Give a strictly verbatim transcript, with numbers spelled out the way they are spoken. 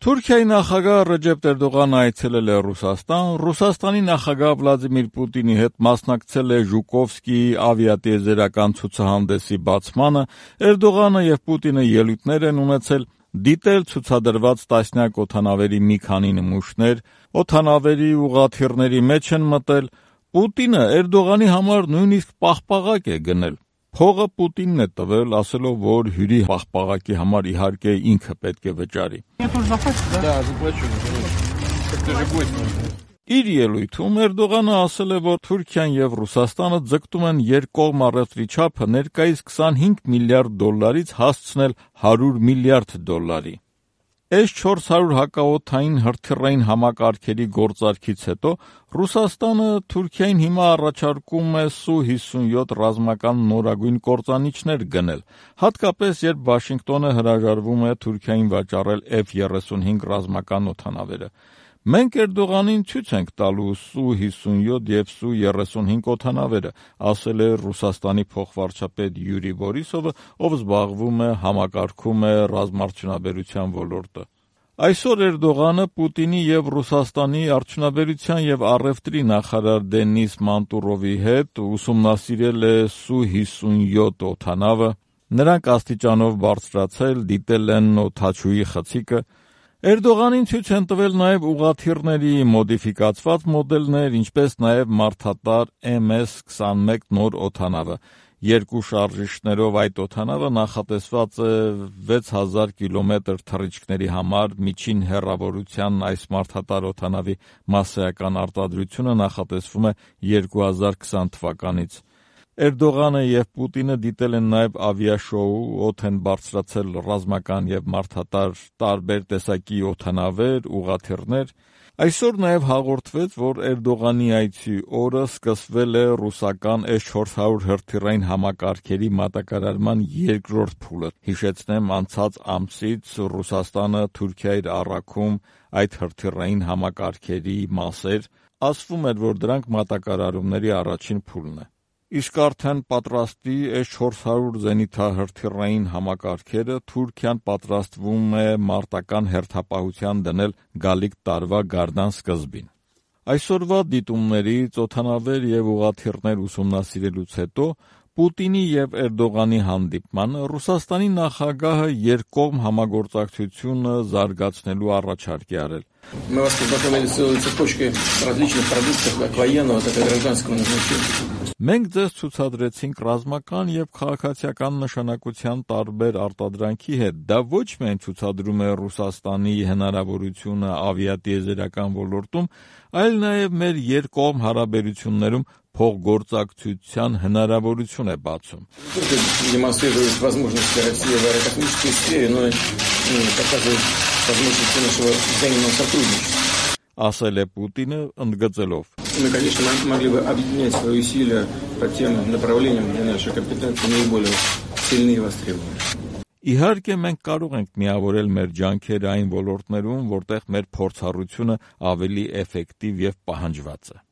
Թուրքիայի նախագահ Ռեջեփ Էրդողանը այցելել է Ռուսաստան, Ռուսաստանի նախագահ Վլադիմիր Պուտինի հետ մասնակցել է Ժուկովսկիի ավիատիեզերական ցուցահանդեսի բացմանը, Էրդողանը եւ Պուտինը ելույթներ են ունեցել, դիտել ցուցադրված տասնյակ օդանավերի մի քանի նմուշներ, օդանավերի ուղղաթիռների մեջ են մտել, Պուտինը Էրդողանի համար նույնիսկ պաղպաղակ է գնել։ Փողը Պուտինն է տվել, ասելով, որ հյուրի պաղպաղակի համար իհարկե ինքը պետք է վճարի։ Իր ելույթում Էրդողանը ասել է, որ Թուրքիան եւ Ռուսաստանը ձգտում են երկկողմ առևտրի չափը ներկայիս քսանհինգ միլիարդ դոլարից հասցնել հարյուր միլիարդ դոլարի։ Էս չորս հարյուր հակաօդային հրթիռային համակարգերի գործարքից հետո Ռուսաստանը Թուրքիային հիմա առաջարկում է Սու հիսունյոթ ռազմական նորագույն կործանիչներ գնել, հատկապես երբ Վաշինգտոնը հրաժարվում է Թուրքիային վաճառել Էֆ երեսունհինգ ռազմական օդանավերը։ Մենք Էրդողանին ցույց ենք տալու Սու հիսունյոթ եւ Սու երեսունհինգ օդանավերը, ասել է Ռուսաստանի փոխվարչապետ Յուրի Բորիսովը, ով զբաղվում է համակարգում է ռազմաարդյունաբերության ոլորտը։ Այսօր Էրդողանը Պուտինի եւ Ռուսաստանի արդյունաբերության եւ առևտրի նախարար Դենիս Մանտուրովի հետ ուսումնասիրել է Սու հիսունյոթ օդանավը, նրանք աստիճանով բարձրացել, դիտել են օդաչուի խցիկը։ Էրդողանին ցույց են տվել նաև ուղղաթիռների մոդիֆիկացված մոդելներ, ինչպես նաև մարդատար Էմ Էս քսանմեկ նոր օդանավը։ Երկու շարժիչներով այդ օդանավը նախատեսված է վեց հազար կիլոմետր թռիչքների համար, միջին հեռավորության այս մարդատար օդանավի մասսայական արտադրությունը նախատեսվում է երկու հազար քսան թվականից։ Էրդողանը եւ Պուտինը դիտել են նաև ավիաշոու, օդ են բարձրացել ռազմական եւ մարդատար տարբեր տեսակի օդանավեր, ուղղաթիռներ։ Այսօր նաև հաղորդվեց, որ Էրդողանի այցի օրը սկսվել է ռուսական Էս չորս հարյուր հրթիռային համակարգերի մատակարարման երկրորդ փուլը։ Հիշեցնեմ, անցած ամսից Ռուսաստանը Թուրքիա էր առաքում այդ հրթիռային համակարգերի մասեր, ասվում էր, որ դրանք մատակարարումների առաջին փուլն է։ Իսկ արդեն պատրաստի Էս չորս հարյուր զենիթահրթիռային համակարգերը Թուրքիան պատրաստվում է մարտական հերթապահության դնել գալիք տարվա գարնան սկզբին։ Այսօրվա դիտումներից օդանավեր եւ ուղղաթիռներ ուսումնասիրելուց հետո Պուտինի եւ Էրդողանի հանդիպմանը Ռուսաստանի նախագահը երկկողմ համագործակցությունը զարգացնելու առաջարկ է արել։ Мы вас познакомили с целой цепочкой различных продуктов, как военного, так и гражданского назначения. Մենք ձեզ ցուցադրեցինք ռազմական եւ քաղաքացիական նշանակության տարբեր արտադրանքի հետ։ Դա ոչ միայն ցուցադրում է Ռուսաստանի հնարավորությունը ավիատիեզերական ոլորտում, այլ նաեւ մեր երկկողմ հարաբերություններում փոխգործակցության հնարավորություն է բացում։ Демонстрирует возможности России в аэрокосмической сфере, но и показывает возможности нашего взаимного сотрудничества. Ասել է Պուտինը ընդգծելով. Мы, конечно, могли бы объединять свои усилия по тем направлениям, где наши компетенции наиболее сильны и востребованы. Իհարկե մենք կարող ենք միավորել մեր ջանքերը այն ոլորտներում, որտեղ մեր փորձառությունը ավելի էֆեկտիվ եւ պահանջված է։